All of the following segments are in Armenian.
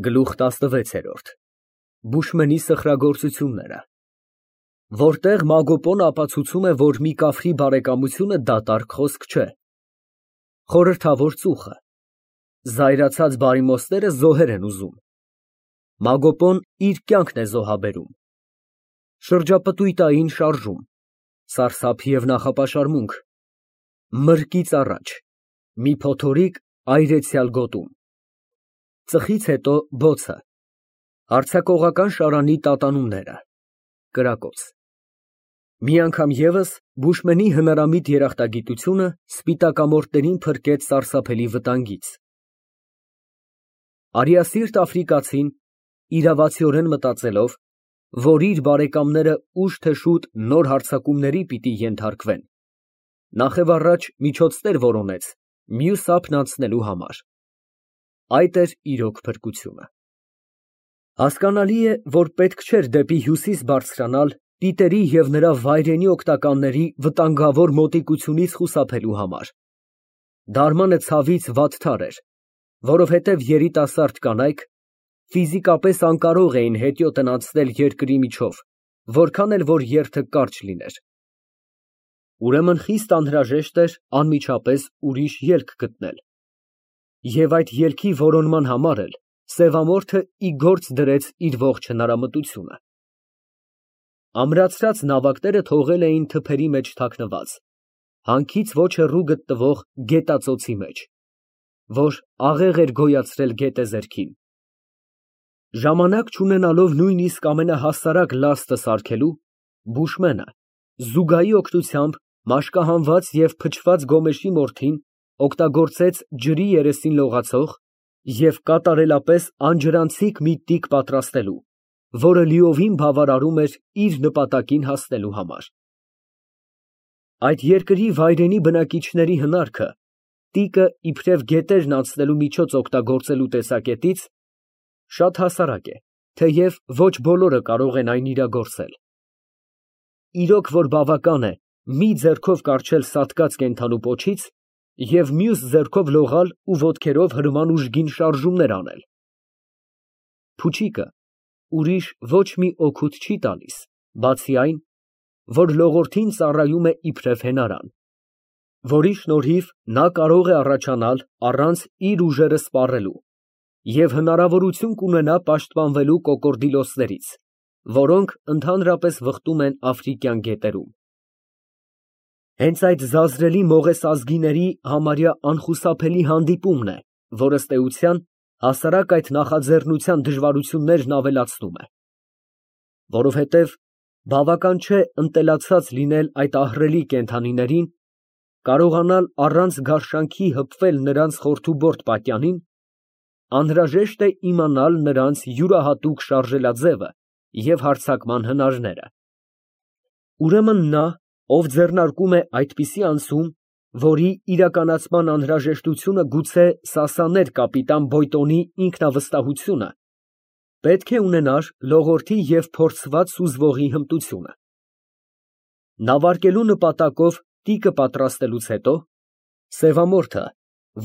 Գլուխ 16 Բուշմենի սխրագործությունները Որտեղ Մագոպոն ապացուցում է, որ մի կավրի բարեկամությունը դատարկ խոսք չէ։ Խորհրդավոր ծուխը Զայրացած բարիմոստները զոհեր են ուզում։ Մագոպոն իր կյանքն է զոհաբերում։ Շրջապտույտային շարժում Սարսափ և նախապաշարմունք Մրկից առաջ Մի փոթորիկ այրեցյալ գոտում Ծխից հետո բոցը Հարձակողական շարանի տատանումները Կրակոց Մի անգամ ևս Բուշմենի հնարամիտ երախտագիտությունը սպիտակամորթներին փրկեց սարսափելի վտանգից։ Արիասիրտ աֆրիկացին, իրավացիորեն մտածելով, որ իր բարեկամները ուշ թե շուտ նոր հարձակումների պիտի ենթարկվեն, նախևառաջ միջոցներ որոնեց մյուս ափն անցնելու համար։ Այդ էր իրոք փրկությունը։ Հասկանալի է, որ պետք չէր դեպի հյուսիս բարձրանալ Պիտերի և նրա վայրենի օգնականների վտանգավոր մոտիկությունից խուսափելու համար։ Դարմանը ցավից վատթար էր, որովհետև երիտասարդ կանայք ֆիզիկապես անկարող էին հետիոտն անցնել երկրի միջով, որքան էլ որ երթը կարճ լիներ։ Ուրեմն խիստ անհրաժեշտ էր անմիջապես ուրիշ ելք գտնել։ Եվ այդ ելքի որոնման համար էլ սևամորթը ի գործ դրեց իր ողջ հնարամտությունը։ Ամրացրած նավակները թողել էին թփերի մեջ թաքնված, հանքից ոչ հեռու գտնվող գետածոցի մեջ, որ աղեղ էր գոյացրել գետեզերքին։ Ժամանակ չունենալով նույնիսկ ամենահասարակ լաստը սարքելու, Բուշմենը զուգայի օգնությամբ մաշկահանված և փչված գոմեշի մորթին օգտագործեց ջրի երեսին լողացող և կատարելապես անջրանցիկ մի տիկ պատրաստելու, որը լիովին բավարարում էր իր նպատակին հասնելու համար։ Այդ երկրի վայրենի բնակիչների հնարքը տիկը իբրև գետերն անցնելու միջոց օգտագործելու տեսակետից շատ հասարակ է, թեև ոչ բոլորը կարող են այն իրագործել։ Իրոք որ բավական է մի ձեռքով կառչել սատկած կենդանու պոչից և մյուս ձեռքով լողալ ու ոտքերով հրման ուժգին շարժումներ անել։ Փուչիկը ուրիշ ոչ մի օգուտ չի տալիս, բացի այն, որ լողորդին ծառայում է իբրև հենարան, որի շնորհիվ նա կարող է առաջանալ առանց իր ուժերը սպառելու և հնարավորություն կունենա պաշտպանվելու կոկորդիլոսներից, որոնք ընդհանրապես վխտում են աֆրիկյան գետերում։ Հենց այդ զազրելի մողեսազգիների համարյա անխուսափելի հանդիպումն է, որ ըստ էության հասարակ այդ նախաձեռնության դժվարություններն ավելացնում է։ Որովհետև բավական չէ ընտելացած լինել այդ ահռելի կենդանիներին, կարողանալ առանց գարշանքի հպվել նրանց խորթուբորդ պատյանին, անհրաժեշտ է իմանալ նրանց յուրահատուկ շարժելաձևը և հարձակման հնարները։ Ուրեմն նա, ով ձեռնարկում է այդպիսի անցում, որի իրականացման անհրաժեշտությունը գուցե սասաներ կապիտան Բոյտոնի ինքնավստահությունը, պետք է ունենար լողորդի և փորձված սուզվողի հմտությունը։ Նավարկելու նպատակով տիկը պատրաստելուց հետո, սևամորթը,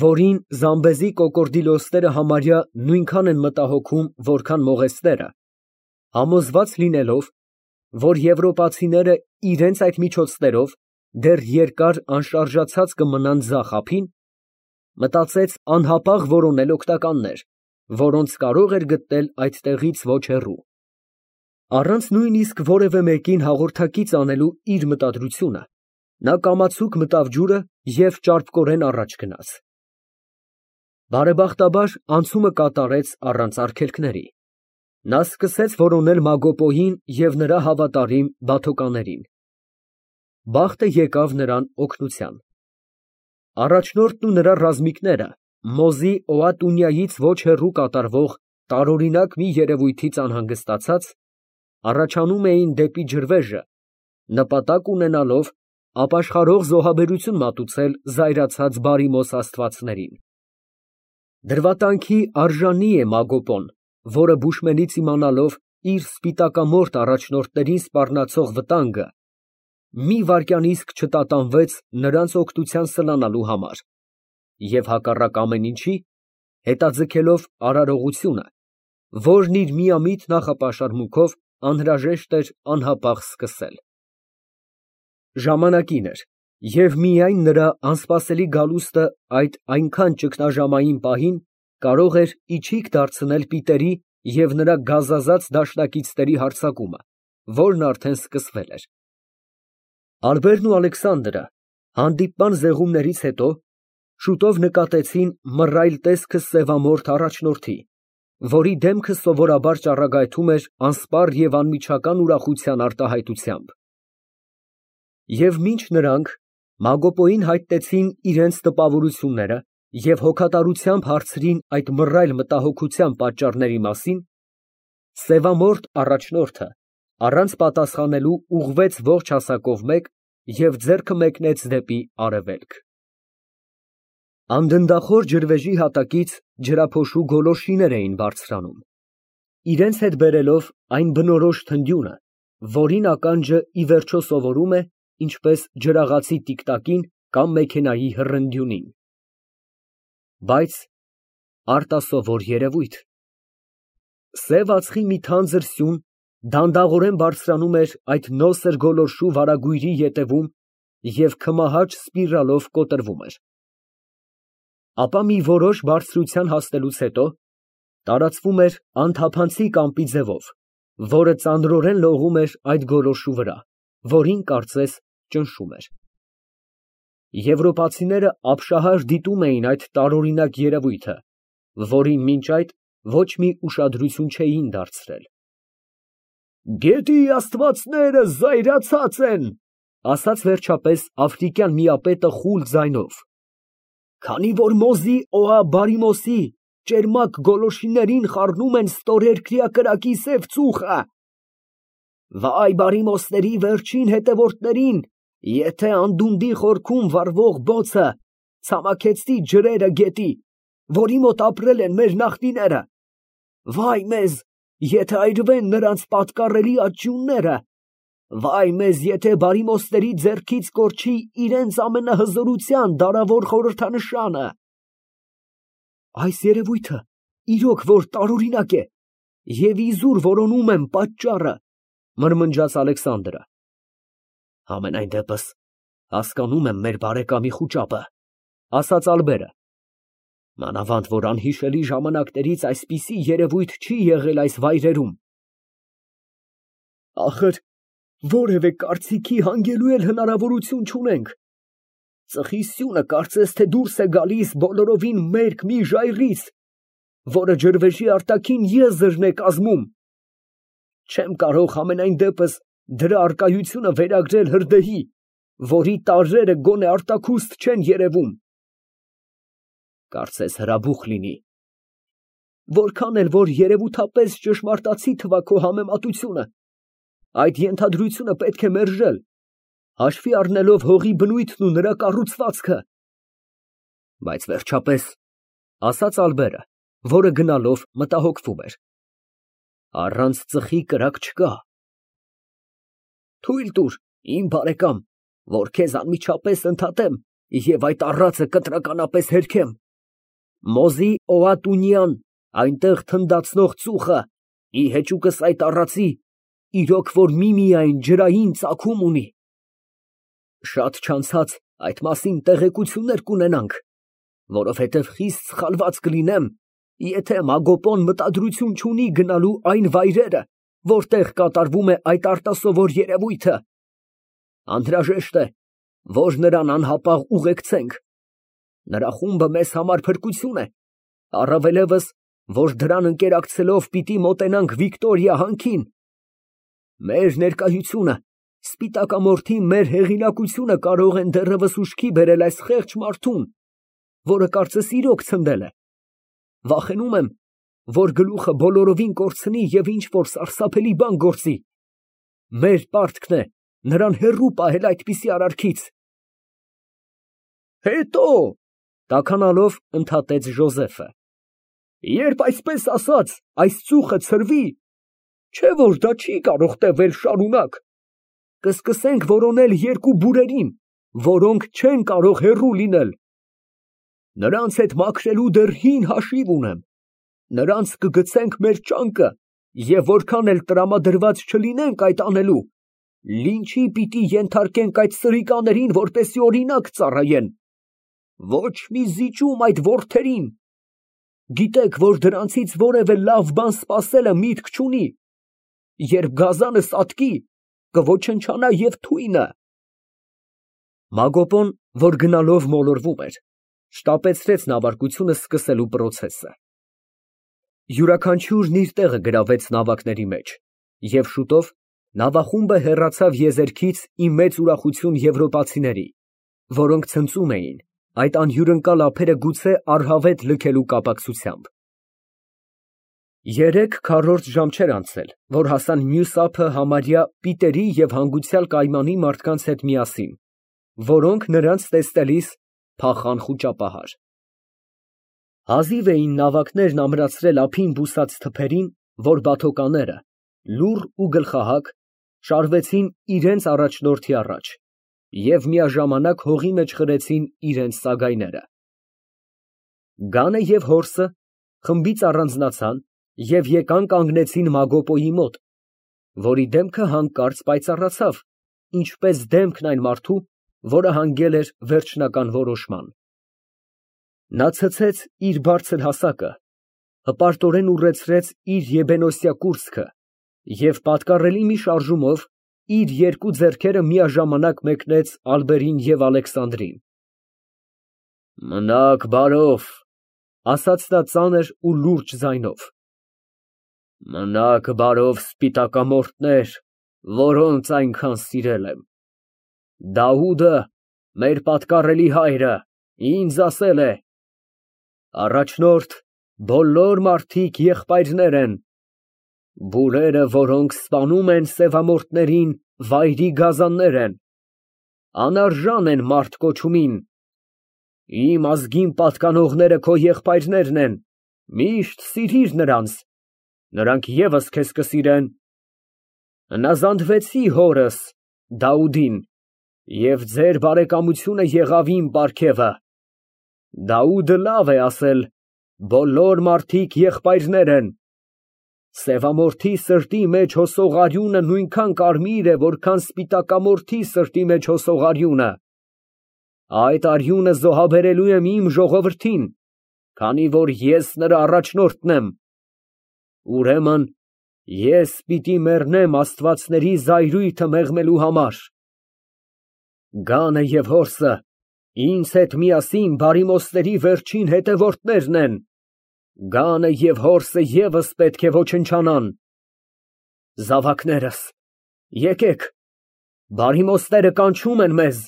որին զամբեզի կոկորդիլոսները համարյա նույնքան են մտահոգում, որքան մողեսները, համոզված լինելով, որ եվրոպացիները իրենց այդ միջոցներով դեռ երկար անշարժացած կմնան ձախ ափին, մտածեց անհապաղ որոնել օգնականներ, որոնց կարող էր գտնել այդտեղից ոչ հեռու։ Առանց նույնիսկ որևէ մեկին հաղորդակից անելու իր մտադրությունը, նա կամացուկ մտավ ջուրը և ճարպկորեն առաջ գնաց։ Բարեբախտաբար անցումը կատարեց առանց արգելքների։ Նա սկսեց որոնել Մագոպոյին և նրա հավատարիմ բաթոկաներին։ Բախտը եկավ նրան օգնության։ Առաջնորդն ու նրա ռազմիկները Մոզի Օատունյայից ոչ հեռու կատարվող տարօրինակ մի երևույթից անհանգստացած, առաջանում էին դեպի ջրվեժը, նպատակ ունենալով ապաշխարող զոհաբերություն մատուցել զայրացած բարիմոս աստվածներին։ Դրվատանքի արժանի է Մագոպոն, որը Բուշմենից իմանալով իր սպիտակամորթ առաջնորդներին սպառնացող վտանգը, մի վայրկյանիսկ չտատանվեց նրանց օգնության սլանալու համար և հակառակ ամեն ինչի, հետաձգելով արարողությունը, որն իր միամիտ նախապաշարմունքով անհրաժեշտ էր անհապաղ սկսել։ Ժամանակին էր, և միայն նրա անսպասելի գալուստը այդ այնքան ճգնաժամային պահին կարող էր իչիք դարձնել Պիտերի և նրա գազազած դաշնակիցների հարձակումը, որն արդեն սկսվել էր։ Ալբերտն ու Ալեքսանդրը հանդիպման զեղումներից հետո շուտով նկատեցին մռայլ տեսքը սևամորթ առաջնորդի, որի դեմքը սովորաբար ճառագայթում էր անսպառ և անմիջական ուրախության արտահայտությամբ։ Եվ մինչ նրանք Մագոպոյին հայտնեցին իրենց տպավորությունները և հոգատարությամբ հարցրին այդ մռայլ մտահոգության պատճառների մասին, սևամորթ առաջնորդը առանց պատասխանելու ուղղվեց ողջ հասակով մեկ և ձեռքը մեկնեց դեպի արևելք։ Անդնդախոր ջրվեժի հատակից ջրափոշու գոլորշիներ էին բարձրանում, իրենց հետ բերելով այն բնորոշ թնդյունը, որին ականջը ի վերջո սովորում է, ինչպես ջրաղացի տիկտակին կամ մեքենայի հռնդյունին։ Բայց արտասովոր երևույթ։ Սև ածխի մի թանձր սյուն դանդաղորեն բարձրանում էր այդ նոսր գոլորշու վարագույրի ետևում և քմահաճ սպիրալով կոտրվում էր։ Ապա մի որոշ բարձրության հասնելուց հետո տարածվում էր անթափանցիկ ամպի ձևով, որը ծանրորեն լողում էր այդ գոլորշու վրա, որին, կարծես, ճնշում էր։ Եվրոպացիները ապշահար դիտում էին այդ տարօրինակ երևույթը, որին մինչ այդ ոչ մի ուշադրություն չէին դարձրել։ «Գետի աստվածները զայրացած են», ֊ ասաց վերջապես աֆրիկյան միապետը խուլ ձայնով, «քանի որ Մոզի Օաբարիմոսի ճերմակ գոլորշիներին խառնում են ստորերկրյա կրակի սև ծուխը։ Վայ բարիմոսների վերջին հետևորդներին, եթե անդունդի խորքում վառվող բոցը ցամաքեցնի ջրերը գետի, որի մոտ ապրել են մեր նախնիները, վայ մեզ, եթե այրվեն նրանց պատկառելի աճյունները, վայ մեզ, եթե բարիմոսների ձեռքից կորչի իրենց ամենահզորության դարավոր խորհրդանշանը»։ Այս երևույթը իրոք որ տարօրինակ է և իզուր որոնում եմ պատճառը, մրմնջաց Ալեքսանդրը։ Համենայն դեպս հասկանում եմ մեր բարեկամի խուճապը, ասաց Ալբերը, մանավանդ որ անհիշելի ժամանակներից այսպիսի երևույթ չի եղել այս վայրերում։ Ախր որևէ կարծիքի հանգելու էլ հնարավորություն չունենք։ Ծխի սյունը կարծես թե դուրս է գալիս բոլորովին մերկ մի ժայռից, որը ջրվեժի արտաքին եզրն է կազմում։ Չեմ կարող համենայն դեպս դրա առկայությունը վերագրել հրդեհի, որի տարրերը գոնե արտաքուստ չեն երևում։ Կարծես հրաբուխ լինի։ Որքան էլ որ երևութապես ճշմարտացի թվա քո համեմատությունը, այդ ենթադրությունը պետք է մերժել, հաշվի առնելով հողի բնույթն ու նրա կառուցվածքը։ Բայց վերջապես, ասաց Ալբերը, որը գնալով մտահոգվում էր, առանց ծխի կրակ չկա։ Թույլ տուր, իմ բարեկամ, որ քեզ անմիջապես ընդհատեմ և այդ առածը կտրականապես հերքեմ։ Մոզի Օատունյան, այնտեղ թնդացնող ծուխը, ի հեճուկս այդ առածի, իրոք որ միմիայն ջրային ծագում ունի։ Շատ չանցած այդ մասին տեղեկություններ կունենանք, որովհետև խիստ սխալված կլինեմ, եթե Մագոպոն մտադրություն չունի գնալու այն վայրերը, որտեղ կատարվում է այդ արտասովոր երևույթը։ Անհրաժեշտ է, որ նրան անհապաղ ուղեկցենք։ Նրա խումբը մեզ համար փրկություն է, առավելևս, որ դրան ընկերակցելով պիտի մոտենանք Վիկտորիա հանքին։ Մեր ներկայությունը, սպիտակամորթի մեր հեղինակությունը կարող են դեռևս ուշքի բերել այս խեղճ մարդուն, որը կարծես իրոք ցնդել է։ Վախենում եմ, որ գլուխը բոլորովին կորցնի և ինչ-որ սարսափելի բան գործի։ Մեր պարտքն է նրան հեռու պահել այդպիսի արարքից։ Հետո, տաքանալով ընդհատեց Ժոզեֆը, երբ այսպես ասած, այս ծուխը ցրվի, չէ որ դա չի կարող տևել շարունակ, կսկսենք որոնել երկու բուրերին, որոնք չեն կարող հեռու լինել։ Նրանց հետ մաքրելու դեռ հին հաշիվ ունեմ։ նրանց կգցենք մեր ճանկը, և որքան էլ տրամադրված չլինենք այդ անելու, լինչի պիտի ենթարկենք այդ սրիկաներին, որպեսզի օրինակ ծառայեն, ոչ մի զիջում այդ որդերին, գիտեք, որ դրանցից որևէ լավ բան սպասելը միտք չունի, երբ գազանը սատկի, կոչնչանա և թույնը։ Մագոպոն, որ գնալով մոլորվում էր, շտապեցրեց նավարկությունը սկսելու պրոցեսը։ Յուրաքանչյուրն իր տեղը գրավեց նավակների մեջ, և շուտով նավախումբը հեռացավ եզերքից ի մեծ ուրախություն եվրոպացիների, որոնք ցնծում էին այդ անհյուրընկալ ափերը գուցե առհավետ լքելու կապակցությամբ։ 3 քառորդ ժամ չէր անցել, որ հասան մյուս ափը համարյա պիտերի և հանգուցյալ կայմանի մարդկանց հետ միասին, որոնք նրանց տեսնելիս փախան խուճապահար։ Հազիվ էին նավակներն ամրացրել ափին բուսած թփերին, որ բաթոկաները, լուռ ու գլխահակ, շարվեցին իրենց առաջնորդի առաջ և միաժամանակ հողի մեջ խրեցին իրենց սագայները։ Գանը և հորսը խմբից առանձնացան և եկան կանգնեցին Մագոպոյի մոտ, որի դեմքը հանկարծ պայծառացավ, ինչպես դեմքն այն մարդու, որը հանգել էր վերջնական որոշման։ Նա ցցեց իր բարձր հասակը, հպարտորեն ուռեցրեց իր եբենոսյա կուրծքը և պատկառելի մի շարժումով իր երկու ձեռքերը միաժամանակ մեկնեց Ալբերին և Ալեքսանդրին։ «Մնաք բարով», ֊ ասաց նա ծանր ու լուրջ ձայնով, ֊ մնաք բարով, սպիտակամորթներ, որոնց այնքան սիրել եմ։ Դավուդը, մեր պատկառելի հայրը, ինձ ասել է. «Առաջնորդ, բոլոր մարդիկ եղբայրներ են, բուրերը, որոնք սպանում են սևամորթներին, վայրի գազաններ են, անարժան են մարդ կոչումին։ Իմ ազգին պատկանողները քո եղբայրներն են, միշտ սիրիր նրանց, նրանք ևս քեզ կսիրեն։ Հնազանդվեցի հորս՝ Դավուդին, և ձեր բարեկամությունը եղավ իմ պարգևը։ Դավուդը լավ է ասել. բոլոր մարդիկ եղբայրներ են։ Սևամորթի սրտի մեջ հոսող արյունը նույնքան կարմիր է, որքան սպիտակամորթի սրտի մեջ հոսող արյունը։ Այդ արյունը զոհաբերելու եմ իմ ժողովրդին, քանի որ ես նրա առաջնորդն եմ։ Ուրեմն ես պիտի մեռնեմ աստվածների զայրույթը մեղմելու համար։ Գանը և հորսը ինձ հետ միասին բարիմոստների վերջին հետևորդներն են, գանը և հորսը ևս պետք է ոչնչանան։ Զավակներս, եկեք, բարիմոստները կանչում են մեզ,